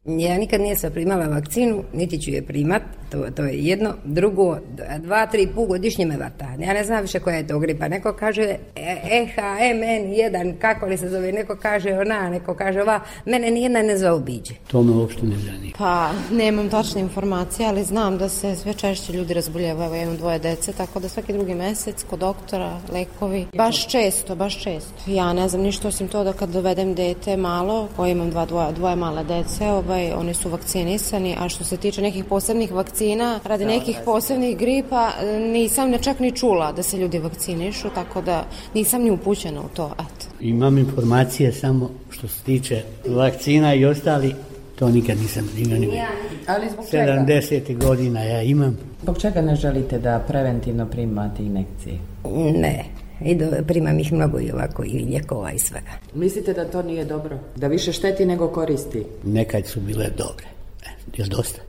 Ja nikad nisam primala vakcinu, niti ću je primat, to je jedno. Drugo, 2-3 put godišnje me vata. Ja ne znam više koja je to gripa. Neko kaže EHMN1, kako li se zove, neko kaže ona, neko kaže ova. Mene nijedna ne zaobiđe. To me uopšte ne zanima. Pa, nemam tačne informacije, ali znam da se sve češće ljudi razboljevaju. Ja imam 2 dece, tako da svaki drugi mesec kod doktora, lekovi. Baš često. Ja ne znam ništa osim to da kad dovedem dete malo, koje imam dvoje male dece, oni su vakcinisani, a što se tiče nekih posebnih vakcina, radi nekih posebnih gripa, nisam čak ni čula da se ljudi vakcinišu, tako da nisam ni upućena u to. Eto. Imam informacije samo što se tiče vakcina i ostali, to nikad nisam imao. Ali zbog čega? 70 godina ja imam. Zbog čega ne želite da preventivno primate injekcije? Ne. Primam ih mnogo i ovako i lijekova i svega. Mislite da to nije dobro? Da više šteti nego koristi? Nekad su bile dobre. Još dosta.